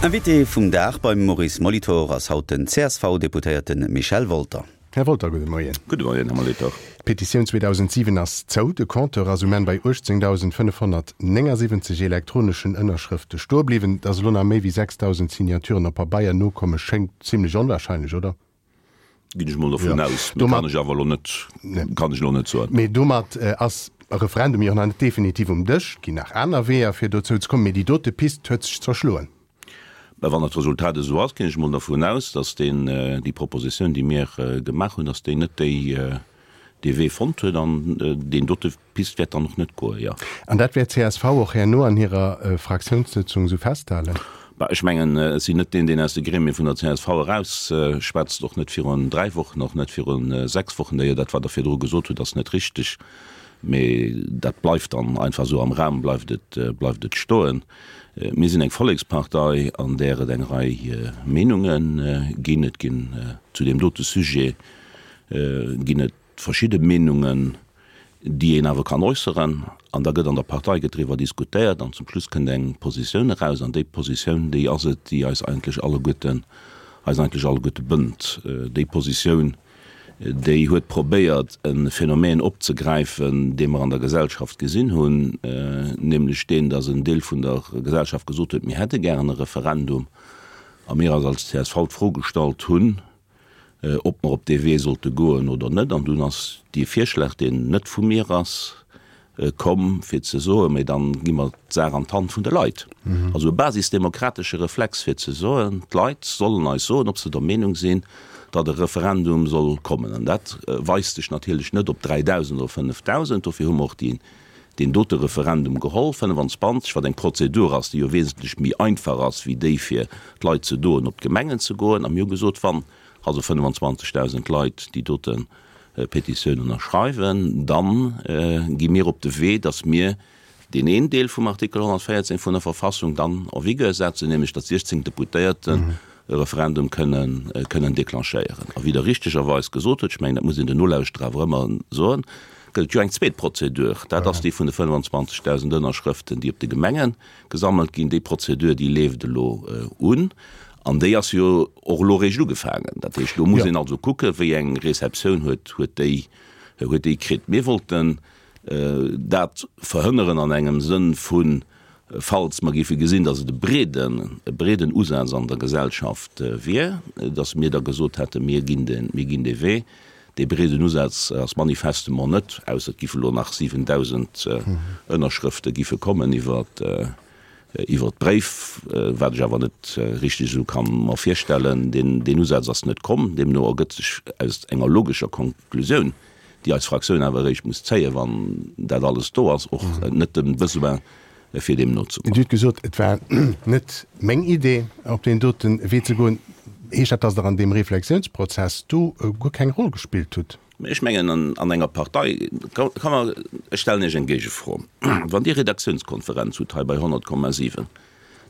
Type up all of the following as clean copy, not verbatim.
Invité vum Dag beim Maurice Molitor ass haut den CSV-Deputéierte Michel Wolter. Här Wolter, gudde Moien. Gudde Moien, Här Molitor. D'Petitioun 2007 ass zou. De Compteur ass um Enn bei 18.579 elektroneschen Ënnerschrëfte stoe bliwwen. Datt elo nach méi wéi 6.000 Signaturen op Pabeier nokomme schéngt zimlech onwahrscheinlech, oder? Ginn ech mol dovun aus, mee kann ech awer elo net, kann ech elo net soen. Mee domat ass e Referendum jo och nach net definitiv um Dësch. Et ginn nach aner Weeër, fir dozou ze kommen, mee déi dote Pist huet sech zerschloen. Mä wann dat Resultat esou ass, ginn ech mol dervun aus, datt deen, déi Propositioun, déi mir gemaach hunn, datt déi net déi, dee Wee fonnt huet an deen dote Pist wäert dann och net goen, jo. An dat wäert csv och herno an hirer Fraktiounssëtzung esou festhalen? Bah, ech mengen, ech sinn net deen, deen aus de Gremie vun der csv erausschwätzt, och net virun 3 Wochen, och net virun 6 Wochen. D'ailleurs, dat wat Der virdru gesot hutt, ass net richteg, mee dat bleift dann einfach esou am Raum, bleift et, bleift et stoen. Mir sinn eng Vollekspartei, an där et eng Rei Meenunge ginn. Et ginn zu deem dote Sujet ginn et verschidde Meenungen, déi een awer kann äusseren, an da gëtt an der Partei gëtt driwwer diskutéiert an zum Schluss kënnt eng Positioun eraus an déi Positioun, déi ass et, déi eis eigentlech alleguerten, eis eigentlech alleguerte bënnt. Déi Positioun, déi huet probéiert e Phänomen opzegräifen, dee mer an der Gesellschaft gesinn hunn, nämlech deen, datt en Deel vun der Gesellschaft gesot huet, mir hätte gären e Referendum, a mir eis als csv d'Fro gestallt hunn, ob mer op dee Wee sollte goen oder net. An dunn ass dee Virschlag, deen net vu mir ass, komm, fir ze soen, Mee dann gi mer d'Saach an d'Hand vun de Leit. Also e basisdemokratesche Reflex, fir ze soen, d'Leit sollen eis soen, ob se der Meenung sinn, datt e Referendum soll kommen. An dat weist sech natierlech net op 3.000 oder 5.000. Dofir hu mer och déi deen dote Referendum geholl, 25, wat eng Prozedur ass, déi jo wesentlech méi einfach ass wéi déi fir d'Leit ze doen op d'Gemengen ze goen. A mir hu gesot, wann also 25.000 Leit déi dote Petitioun ënnerschreiwen, da gi mir op de Wee, datt mir deen een Deel vum Artikel 114 vun der Verfassung dann en vigueur setzen, nämlech datt 16 Deputéierten e Referendum kënnen, kënnen déclenchéieren. A wéi Der richtegerweis gesot hutt, ech mengen, dat muss een den Nolauschterer awer ëmmer soen, gëtt et jo eng zweet Prozedur, dat ass déi vun de 25.000 Ënnerschrëften, déi op de Gemenge gesammelt ginn. Déi Prozedur, déi leeft elo un an déi ass jo och elo eréischt ugefaangen. Dat heescht, do muss een also kucken, wéi eng Receptioun huet, huet déi, huet déi kritt. Mir wollten dat verhënneren an engem Sënn vu falls mer géife gesinn, datt et e breeden, e breeden Usaz an der Gesellschaft wier, datt mir da gesot hätten, mir ginn de, mir ginn dee Wee. Dee breeden Usaz ass manifestement net, ausser et giffe elo nach 7.000 Ënnerschrëfte giffe kommen iwwer, iwwer d'Bréif, wat ech awer net richteg esou ka mer virstellen. Deen, deen Usaz ass net komm. Deemno ergëtt sech aus enger logescher Konklusioun, déi eis Fraktioun awer eréischt muss zéien, wann dat alles do ass, och net de Besoin, fir deem nozegoen. Dir hutt gesot, et war net meng Idee, op deen dote Wee ze goen. Heescht dat, datt Der an deem Reflexiounsprozess do guer keng Roll gespillt hutt? Mä ech mengen, an enger Partei ka mer, ech stellen Iech eng Géigefro, Wann Dir Redaktiounskonferenz hutt hei bei 100,7,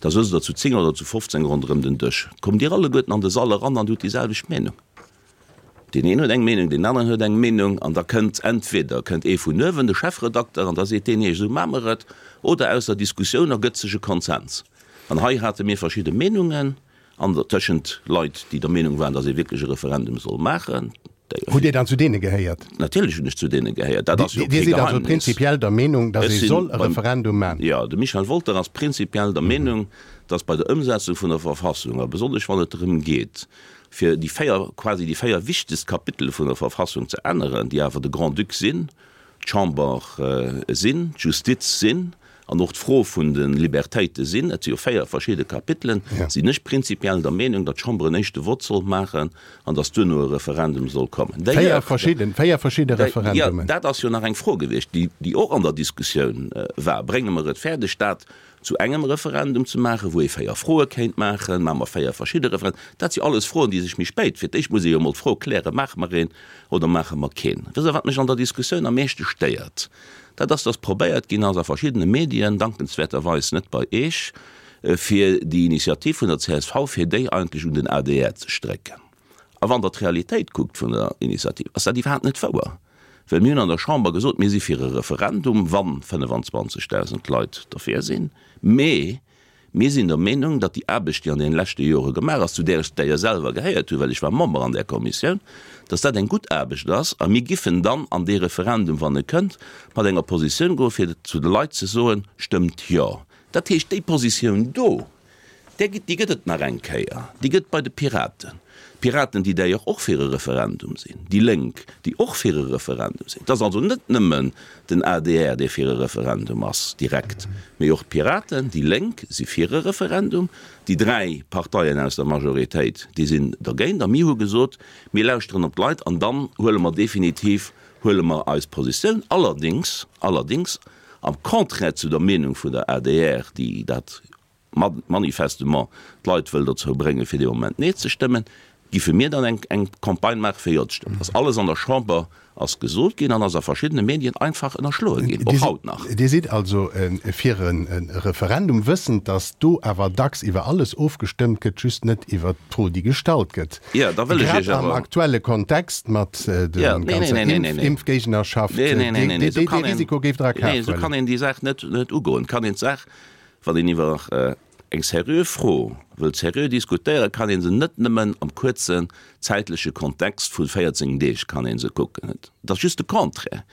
da sëtzt Der zu 10 oder zu 15 ronderëm den Dësch. Kommt Dir alleguerten an de Sall eran an hutt déi selwecht Meenung? Deen een huet eng Meenung, deen aneren huet eng Meenung an da kënnt entweder kënnt ee vun uewen, de Chefredakter, an da seet deen, Iech, esou maache mer et, oder aus der Diskussioun ergëtt sech e Konsens. An hei hate mir verschidde Meenungen an der tëschent Leit, déi der Meenung waren, datt ee wierklech e Referendum soll maachen. Hutt Dir dann zu deene gehéiert? Natierlech hunn ech zu deene gehéiert. Dat ass jo kee Geheimnis. Dir sidd also prinzipiell der Meenung, datt ee soll e Referendum maachen? Jo, de Michel Wolter ass prinzipiell der Meenung, datt bei der Ëmsetzung vun der Verfassung, a besonnesch wann et drëm geet, fir déi 4, quasi déi 4 wichtegst Kapitele vun der Verfassung ze änneren, déi awer de Grand-Duc sinn, d'Chamber sinn, d'Justiz sinn an och d'Fro vun de Libertéite sinn, et si jo 4 verschidde Kapitelen, sinn ech prinzipiell der Meenung, datt d'Chamber en éischte Vott sollt maachen an datt duerno e Referendum soll kommen. Véier verschidden, véier verschidde Referendumen. Jo, dat ass jo nach eng Fro gewiescht, déi, déi och an der Diskussioun war. Brénge mer et fäerdeg, dat zu engem Referendum ze maachen, wou ee 4 Froe kéint maachen, maache mer 4 verschidde Referenden? Dat si alles Froen, déi sech méi spéit, fir d'éischt muss ee jo emol d'Fro klären, maache mer een oder maache mer keen? Wësst Der, wat mech an der Diskussioun am meeschte stéiert? Dat ass, datt probéiert ginn ass a verschiddene Medien, dankenswäerterweis net bei Eech, fir déi Initiativ vun der csv, fir déi eigentlech un den adr ze strécken. A wann Der d'Realitéit kuckt vun der Initiativ, ass dat iwwerhaapt net wouer. Well mir hunn an der Chamber gesot, mir si fir e Referendum, wa 25.000 Leit derfir sinn, mee. Mir sinn der Meenung, datt déi Aarbecht, déi an deene leschte Jore gemaach ass, zu där ech d'ailleurs selwer gehéiert hunn, well ech war Member an där Kommissioun, datt dat eng gutt Aarbecht ass a mir giffen dann an dee Referendum, wann e kënnt, mat enger Positioun goen, fir zu de Leit ze soen, Stëmmt Jo. Dat heescht, déi Positioun do, Där gëtt, déi gëtt et nach eng Kéier, déi gëtt bei de Piraten. D'Piraten, déi d'ailleurs och fir e Referendum sinn, déi Lénk, déi och fir e Referendum sinn. Et ass also net nëmmen den adr, dee fir e Referendum ass, direkt, mee och d'Piraten, déi Lénk si fir e Referendum. Déi dräi Parteien aus der Majoritéit, déi sinn dergéint. A mir hu gesot, mir lauschteren op d'Leit an dann huele mer definitiv, huele mer eis Positioun. Allerdéngs, allerdéngs am Contraire zu der Meenung vun der adr, déi dat manifestement d'Leit wëll dozou bréngen, fir dee Moment Nee ze stëmmen, giffe mir dann eng eng Campagne maache fir Jo ze stëmmen. Ass alles an der Chamber ass gesot ginn an ass a verschiddene Medien einfach ënnerschloe ginn, och haut nach. Dir sidd also fir e Referendum, wëssend, datt do awer dacks iwwer alles ofgestëmmt gëtt, just net iwwer d'Fro, déi gestallt gëtt. Jo, da wëll ech Grad Iech am awer. aktuelle Kontext mat der ganzer Impfgéignerschaft, dee Risiko géift Der a Kaf Nee, esou huelen. kann een déi Saach net ugoen. Kann een d'Saach Wann een iwwer eng seriö Fro wëllt seriö diskutéieren, kann ee se net nëmmen am kuerzen zäitleche Kontext vu 14 Deeg kann ee se kucken. Et ass just de Contraire.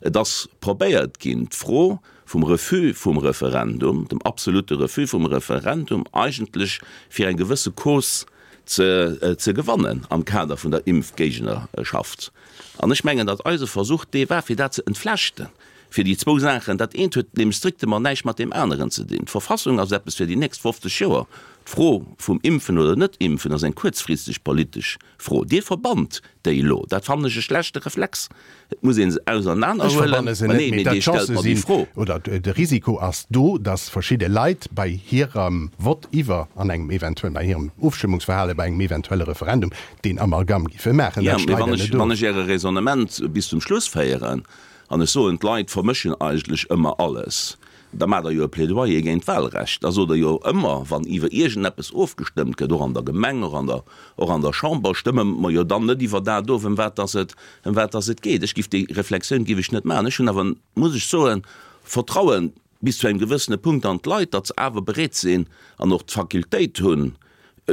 Et ass probéiert ginn, d'Fro vum Refus vum Referendum, dem absolute Refus vum Referendum eigentlech fir eng gewësse Cause ze gewannen am Kader vun der Impfgéignerschaft. An ech mengen, datt eise Versuch dee war, fir dat ze entflechten. Fir déi zwou Saachen, dat eent huet nämlech strictement näischt mat deem aneren ze dinn. D'Verfassung ass eppes fir déi nächst 50 Joer. D'Fro vum Impfen oder Net-Impfen ass eng kuerzfristeg politesch Fro. Dir verbannt déi elo. Dat fannen ech e schlechte Reflex. Et muss ee se Ech ausernanerhuelen. verbanne se Mä net, nee, mee mee datt Dir stellt d'Chancë mer déi sinn, Fro. oder de Risiko ass do, datt verschidde Leit bei hirem Vott iwwer, an engem eventuell, bei hirem Ofstëmmungsverhale bei engem eventuelle Referendum deen Amalgam giffe maachen. Jo, Dat mee streit wann Der ech, net wann of. ech Äre Raisonnement bis zum Schluss féieren, An ech soen, d'Leit vermëschen eigentlech ëmmer alles. Da maacht Der jo e Plädoyer géint d'Wahlrecht. Da sot Der jo ëmmer, wann iwwer iergendeppes ofgestëmmt gëtt, och an der Gemeng, och an der, och an der Chamber, stëmme mer jo dann net iwwer dat of, ëm wat dass et, ëm wat dass et geet. Ech giff déi Reflexioun giff ech net maachen. Ech hunn awer, muss ech soen, Vertrauen bis zu engem gewëssene Punkt an d'Leit, datt se awer bereet sinn an och d'Fakultéit hunn,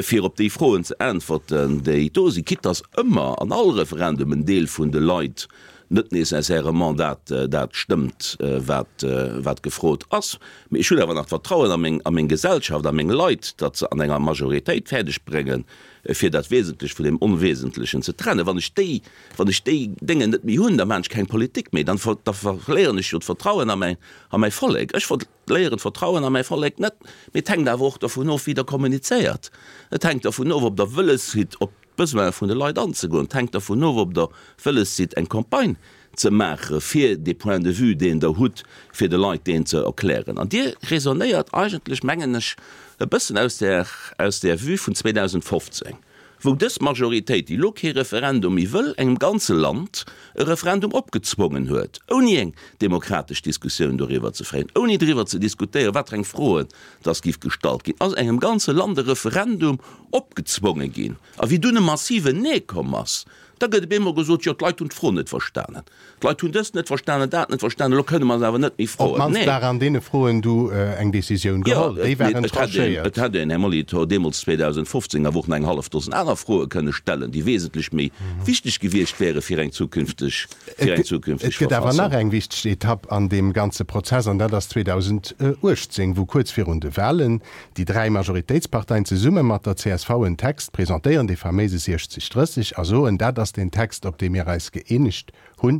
fir op déi Froen ze äntwerten, déi do sinn, quitte datt ëmmer an all Referendum en Deel vun de Leit net nécessairement dat dat stëmmt, wat wat gefrot ass. Mee ech hunn awer nach d'Vertrauen a meng a meng Gesellschaft, a meng Leit, datt se an enger Majoritéit fäerdeg bréngen, fir dat Wesentlecht vun deem Onwesentlechen ze trennen. Wann ech déi Wann ech déi Déngen net méi hunn, da maachen ech keng Politik méi, dann da verléieren ech jo d'Vertrauen a mäin, a mäi Vollek. Ech verléieren d'Vertrauen a mäi Vollek net, mee et hänkt awer och dervun of, wéi Der kommunizéiert. Et hänkt dervun of, ob Der wëlles sidd, op d'Besoine vun de Leit anzegoen. Et hänkt dervun of, ob Der wëlles sidd, eng Campagne ze maache fir dee Point de vue, deen Der hutt, fir de Leit deen ze erklären. An Dir raisonnéiert eigentlech, mengen ech, e bëssen aus där, aus där Vue vun 2015. wou dës Majoritéit, déi elo kee Referendum méi wëll, engem ganze Land e Referendum opgezwongen huet, ouni eng demokratesch Diskussioun doriwwer ze féieren, ouni driwwer ze diskutéieren, wat fir eng Froen dass giff gestallt ginn, ass engem ganze Land e Referendum opgezwonge ginn. A wéi dunn e massiven Nee komm ass, da gëtt op eemol gesot, jo, d'Leit hunn d'Fro net verstanen. D'Leit hunn dëst net verstanen, dat net verstanen, elo kënne mer se awer net méi Op froen. d'mannst Nee. war an deene Froen du eng Decisioun Jo, geholl. Déi et, waren et hätt een, tranchéiert. et hätt een, Här Molitor, deemools 2015 awer och nach eng hallef Dosen aner Froe kënne stellen, déi wesentlech méi wichteg gewiescht wäre fir eng zukünfteg, fir eng Et zukünfteg gëtt awer Verfassung. nach eng wichteg Etapp an deem ganze Prozess, an dat ass 2018, wou kuerz virun de Wahlen déi dräi Majoritéitsparteien zesumme mat der csv en Text presentéieren, dee faméise 60 30, a soen, dat ass deen Text, op dee mir eis gëeenegt hunn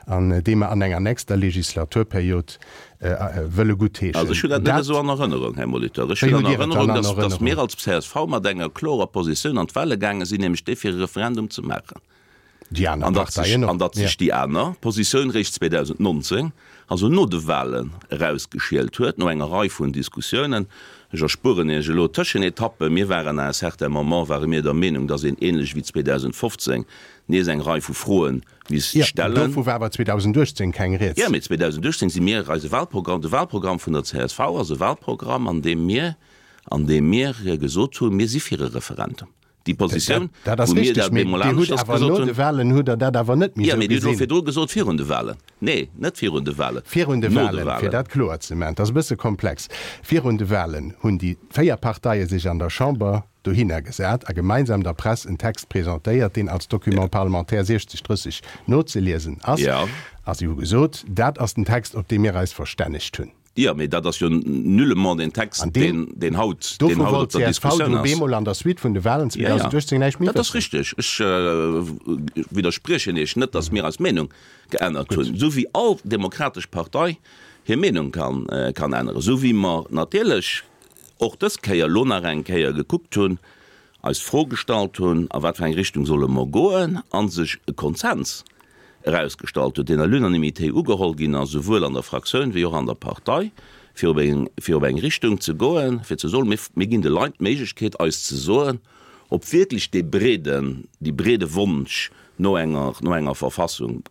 an dee mer an enger nächster Legislaturperiod wëlle guttheeschen. Also ech hunn dat net esou an Erënnerung, Här Molitor. Ech Wéi hunn an hutt Dir et dann Erënnerung, an dass, dass Erënnerung? mir als csv mat enger klorer Positioun an d'Wahle gaange sinn, nämlech déi fir e Referendum ze maachen. Déi aner An datt sech, Parteien och, an datt ja. sech déi aner Positioun réischt 2019, also no de Wahlen, erausgeschielt huet, no enger Rei vun Diskussiounen. Ech erspueren Iech elo d'Tëschenetappen. Mir waren à un certain moment ware mir der Meenung, datt een, ähnlech wéi 2015, nees eng Rei vu Froen misst Jo, stellen. dovu war awer 2018 keng Rieds. Jo, mee 2018 si mir eise Wahlprogramm, de Wahlprogramm vun der csv ass e Wahlprogramm, an deem mir, an deem mir gesot hunn, mir si fir e Referendum. Déi Positioun, Dat ass wou mir richteg, dat mee bemol Dir hutt aneschters awer gesot no hunn. de Wahlen hutt Der dat awer net méi Jo, esou mee Dir hutt elo gesinn. virdru gesot, virun de Wahlen. Nee, net virun de Wahlen, Virun de no de Wahlen, fir Wahlen. dat kloer ze maachen, et ass e bësse komplex, virun de Wahlen hunn déi 4 Parteie sech an der Chamber dohinner gesat a gemeinsam der Press en Text presentéiert, deen als Document parlementaire 6030 nozeliesen ass. Jo. A si hu gesot, dat ass den Text, op dee mir eis verstännegt hunn. Jo, mee dat ass jo nullement deen Text, An deem, deen haut, deen dovu haut op wollt der csv Diskussioun du ass. bemol an der Suite vun de Wahlen Ja, ja, 2018 näischt méi dat ass wëssen. richtig. Ech widderspriechen Iech net, datt mir eis Meenung geännert hunn, esou wéi all demokratesch Partei hir Meenung kann, kann änneren, esou wéi mer natierlech och dës Kéier elo nach eng Kéier gekuckt hunn, eis d'Fro gestallt hunn, a wat fir eng Richtung solle mer goen, a sech e Konsens erausgestallt huet, deen à l'unanimité ugeholl ginn ass, esouwuel an der Fraktioun wéi och an der Partei, fir op eng, fir op eng Richtung ze goen, fir ze soen, mir, mir ginn de Leit d'Méiglechkeet, eis ze soen, ob wierklech dee breeden, dee breede Wonsch no enger, no enger Verfassung,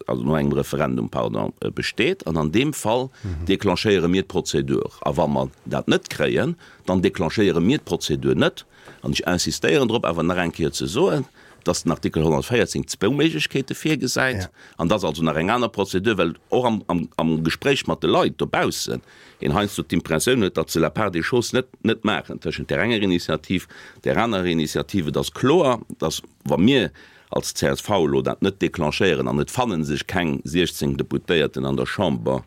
also no engem Referendum, pardon, besteet. An an deem Fall déclenchéiere mir d'Prozedur. A wa mer dat net kréien, dann déclenchéiere mir d'Prozedur net. An ech insistéieren drop, awer nach eng Kéier ze soen, dass den Artikel 114 zwou Méiglechkeete virgesäit an dass also nach eng aner Prozedur, well och am, am, am Gespréich mat de Leit dobaussen een heiansdo d'Impressioun huet, datt se la part des choses net, net maachen tëschent där enger Initiativ, där anerer Initiativ. Et ass kloer, dass, wa mir als csv elo dat net déclenchéieren an et fanne sech keng 16 Deputéierten an der Chamber,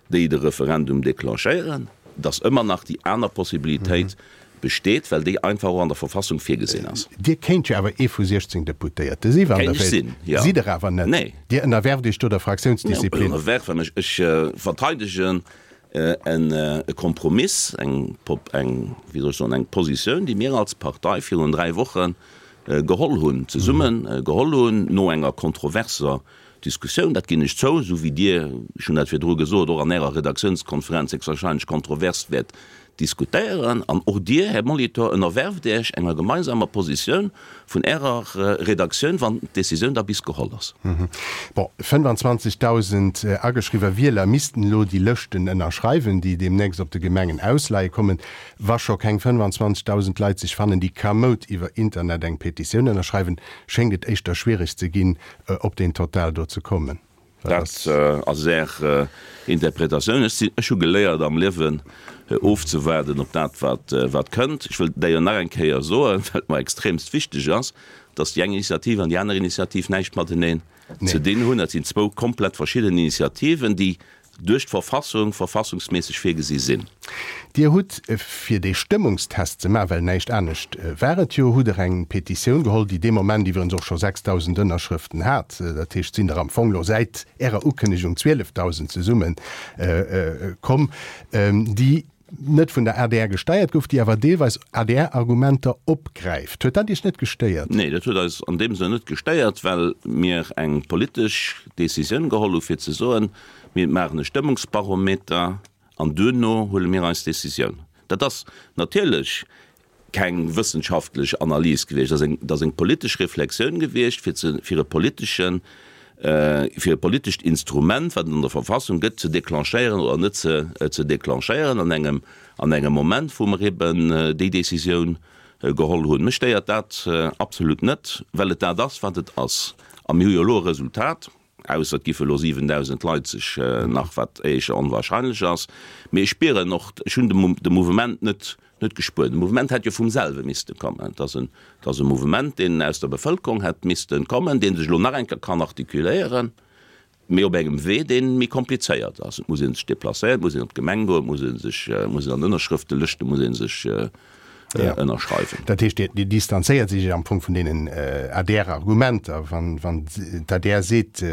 déi de Referendum déclenchéieren, dass ëmmer nach déi aner Possibilitéit besteet, well déi einfach och an der Verfassung virgesinn ass. Dir kéint jo awer ee vu 16 Deputéierte si wann Der Kéint ech wéilt. sinn, jo. Sidd Der awer net. Nee. Dir ënnerwerft Iech do der Fraktiounsdisziplin. Ënnerwerfe mech? Ech verteidegen e Kompromiss, eng, eng, wéi soll ech soen, eng Positioun, déi mir als Partei virun 3 Woche geholl hunn, zesumme geholl hunn, no enger kontroverser Diskussioun, dat ginn ech zou, esou wéi Dir, ech hunn dat virdru gesot, och an Ärer Redaktiounskonferenz héchstwahrscheinlech kontrovers wäert diskutéieren. An och Dir, Här Molitor, ënnerwerft Iech enger gemeinsamer Positioun vun Ärer Redaktioun, wann d'Décisioun da bis geholl ass. Bon, 25.000 ageschriwwer Wieler missten elo déi Lëschten ënnerschreiwen, déi deemnächst op de Gemengen ausleie kommen. Wa scho keng 25.000 Leit sech fannen, déi kamoud iwwer Internet eng Petitioun ënnerschreiwen, schéngt et éischter schwiereg ze ginn, op deen Total do ze kommen. Dat ass Är Interpretatioun. Ech sinn, ech hu geléiert am Liewen ofzewaarden op dat, wat, wat kënnt. Ech wëll d'ailleurs nach eng Kéier soen, well et mer extremst wichteg ass, dass déi eng Initiativ an déi aner Initiativ näischt mateneen ze dinn hunn. Dat sinn zwou komplett verschidden Initiativen, déi duerch d'Verfassung verfassungsméisseg virgesi sinn. Dir hutt, fir dee Stëmmungstest ze maachen, well näischt anescht war et jo, hutt Der eng Petitioun geholl, déi dee Moment iwwerens och scho 6.000 Ënnerschrëften hat. Dat heescht, et sinn der am Fong elo säit Ärer Ukënnegung 12.000 zesumme komm, déi net vun der adr gesteiert gouf, déi awer deelweis ADR-Argumenter opgräift. Huet dat Iech net gestéiert? Nee, dat huet eis an deem Sënn net gestéiert, well mir eng politesch Decisioun geholl hu fir ze soen, mir maachen e Stëmmungsbarometer an duerno huele mir eis Decisioun. Dat ass natierlech keng wëssenschaftlech Analys gewiescht, dat ass eng, dat ass eng politesch Reflexioun gewiescht, fir ze, fir e politeschen, fir e politescht Instrument, wat et an der Verfassung gëtt, ze déclenchéieren oder net ze, ze déclenchéieren an engem, an engem Moment, wou mer eben déi Décisioun geholl hunn. Mech stéiert dat absolut net, well et dat ass, wat et ass. A mir hu jo elo e Resultat. Ausser et giffe elo 7.000 Leit sech nach, wat éischer onwahrscheinlech ass. Mee ech spieren och, ech hunn de Mouvement net net gespuert. De Mouvement hätt jo vum selwe misste kommen. Et ass en, et ass e Mouvement, deen aus der Bevëlkerung hätt misste kommen, dee sech elo nach eng Kéier kann artikuléieren, mee op engem Wee, dee méi komplizéiert ass. Et muss ee sech deplacéieren, et muss een op d'Gemeng goen, et muss ee sech, muss een an Ënnerschrëftelëschte muss ee sech ënnerschreiwen. Dat heescht, Dir distanzéiert Iech am Fong vun deenen ADR-Argumenter, wann d'ADR seet,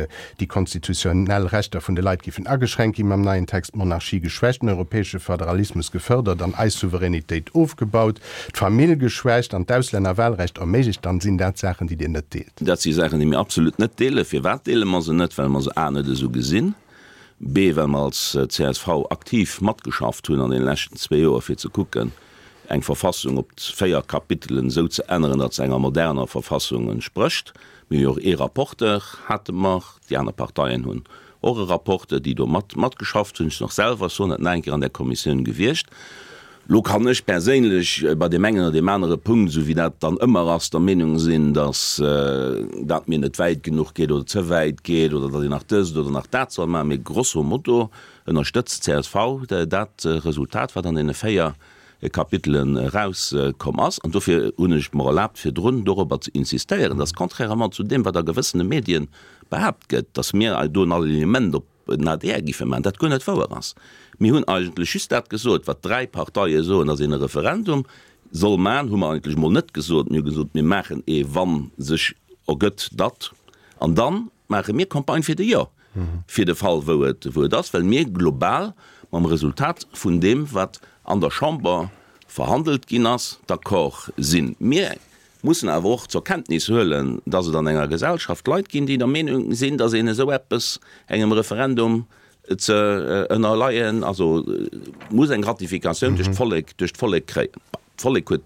déi konstitutionell Rechter vun de Leit géifen ageschränkt ginn mam neien Text, d'Monarchie geschwächt, den europäesche Federalismus gefërdert an eis Souveränitéit ofgebaut, d'Famill geschwächt an d'Auslännerwahlrecht erméiglecht, dann sinn dat Saachen, déi Dir net deelt. Dat si Saachen, déi mir absolut net deelen. Firwat deele mer se net? Well mer se a net esou gesinn, b well mer als csv aktiv matgeschafft hunn an deene leschten zwee Joer, fir ze kucken, eng Verfassung op 4 Kapitelen esou ze änneren, datt se enger moderner Verfassung entsprécht. Mir hu jo och ee Rapporteur, hate mer, déi aner Parteien hunn och e Rapporteur, déi do mat matgeschafft hunn. Ech sinn och selwer, ech soen dat nach eng Kéier, an där Kommissioun gewiescht. Lo kann ech perséinlech bei deem engen oder deem anere Punkt, esou wéi dat dann ëmmer ass, der Meenung sinn, datt dat mir net wäit genuch geet oder ze wäit geet oder datt een nach dëst oder nach dat soll maachen. Mee grosso modo ënnerstëtzt d'CSV dat Resultat, wat an deene 4 Kapitelen erauskomm ass. An dofir hunn ech mer erlaabt, virdrun dorobber ze insistéieren, datt contrairement zu deem, wat a gewëssene Medien behaapt gëtt, datt mir do en Alignement op den adr giffe maachen, dat guer net wouer ass. Mir hunn eigentlech just dat gesot, wat dräi Parteie soen, datt een e Referendum soll maachen, hu mer eigentlech emol net gesot. Mir hu gesot, mir maachen ee wa sech ergëtt, datt, an da maache mir Campagne fir de Jo, fir de Fall wou et wou et ass, well mir global mam Resultat vun deem, wat an der Chamber verhandelt ginn ass, d'accord sinn. Mir mussen awer och zur Kenntnis huelen, dass et an enger Gesellschaft Leit ginn, déi der Meenung sinn, dass een esou eppes engem Referendum ze ënnerleien, also muss eng Ratifikatioun duerch d'Vollek, duerch d'Vollek kréien. D'Vollek huet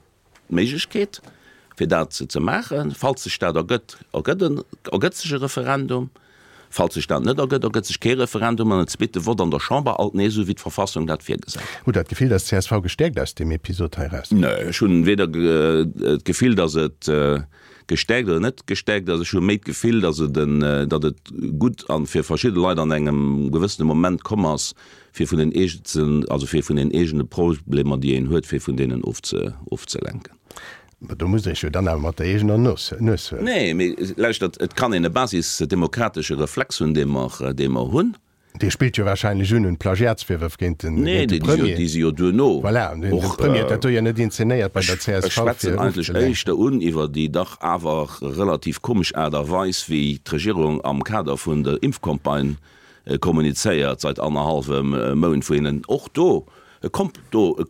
d'Méiglechkeet, fir dat ze maachen. Falls sech dat ergëtt, ergëtt en, ergëtt sech e Referendum. Falls sech dat net ergëtt, ergëtt sech kee Referendum an et zweete Vott an der Chamber, alt nees esou wéi d'Verfassung dat virgesäit. Hutt Der d'Gefill, dass csv gestäerkt aus deem Episod hei eraus? Nee, ech hunn weder d'Gefill, dass et gestäerkt oder net gestäerkt ass. Ech hu méi d'Gefill, dass et en, datt et gutt an fir verschidde Leit an engem gewëssene Moment komm ass, fir vun den eegenen, also fir vun den eegene Problemer, déi een huet, fir vun deenen ofzelenken. Mä do musst Der Iech jo dann awer mat der eegener Nues huelen. Nee, mee lauschtert, et kann een e basisdemokratesche Reflex hunn, dee mer, dee mer hunn. Dee spillt jo wahrscheinlech un un d'Plagiatsvirwërf géint den, Nee, géint de déi si jo, Premier. déi si jo duerno Voilà, den och. Premier huet dat do jo net inzenéiert bei der Ech, csv, ech fir schwätzen eigentlech ofzelenken. éischter un iwwer déi dach awer relativ komesch Aart a Weis, wéi d'Regierung am Kader vun der Impfcampagne kommunizéiert seit annerhallwem Mount, wou een och do e komp, do e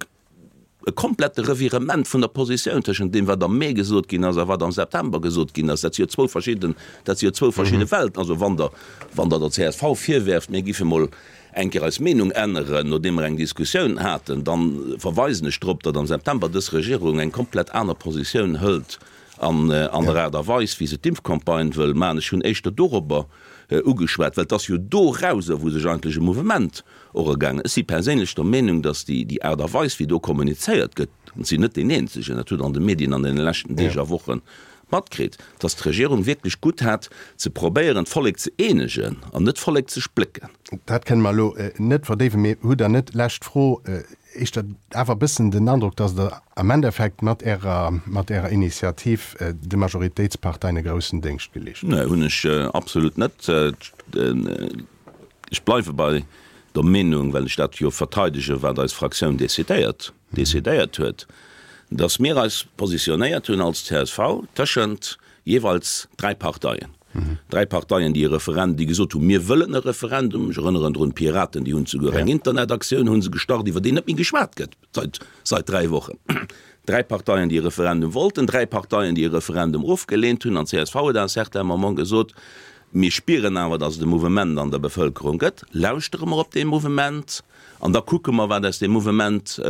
e komplette Revirement vun der Positioun tëschent deem, wat am Mee gesot ginn ass a wat am September gesot ginn ass, dat si jo zwou verschidden, dat si jo zwou verschidde Welten. Also wann Der, wann Der der csv virwerft, mir giffe mol eng Kéier eis Meenung änneren, nodeem mer eng Diskussioun haten, da verweisen ech drop, datt am September dës Regierung eng komplett aner Positioun hëlt an an der Aart a Weis, wéi se d'Impfcampagne wëll maachen. Ech hunn éischter dorobber ugeschwat, well et ass jo dorauser, wou sech eigentlech e Mouvement och ergaangen. Ech si perséinlech der Meenung, datt déi Aart a Weis, wéi do kommunizéiert gëtt, an ech sinn net deen Eenzegen, dat hutt Der an de Medien an deene leschten Deeg a Woche matkritt, datt d'Regierung wierklech gutt hat, ze probéieren, d'Vollek ze eenegen an net d'Vollek ze splécken. Dat kënne mer elo net verdéiwen, mee hutt Der net, lescht Fro, éischter awer e bëssen den Androck, datt Der am Endeffekt mat Ärer, mat Ärer Initiativ de Majoritéitsparteien e groussen Déngscht geleescht hutt? Nee, hunn ech absolut net. Ech bleiwe bei der Meenung, well ech dat jo verteidegen, wat eis Fraktioun decidéiert, decidéiert huet, dass mir eis positionéiert hunn als csv tëschent jeeweils dräi Parteien. Dräi Parteien, déi e Referendum, déi gesot hunn, mir wëllen e Referendum. Ech erënneren drun, d'Piraten, déi hunn souguer eng Internetaktioun hu se gestart, iwwer déi net méi geschwat gëtt seit, seit dräi Wochen. Dräi Parteien, déi e Referendum wollten, dräi Parteien, déi e Referendum ofgeleent hunn. An csv huet à un certain moment gesot, Mir spieren awer, datt et e Mouvement an der Bevëlkerung gëtt. Lauschtere mer op dee Mouvement an da kucke mer, wat aus deem Mouvement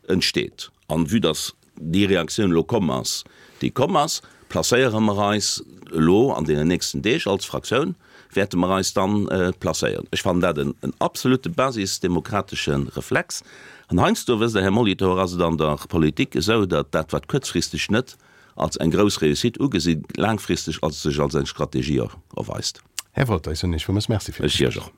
entsteet. An vue datt déi Reaktioun elo komm ass, déi komm ass, placéiere mer eis elo an deenen nächsten Deeg als Fraktioun, wäerte mer eis dann placéieren. Ech fannen dat en absolute basisdemokratesche Reflex. An heiansdo, wësst Der, Här Molitor, ass et an der Politik esou, datt dat, wat kuerzfristeg net als eng grouss Réussite ugesi, laangfristeg als sech als eng Strategie erweist. Här Wolter, ech soen Iech villmools Merci fir d'Gespréich. Ech Iech och.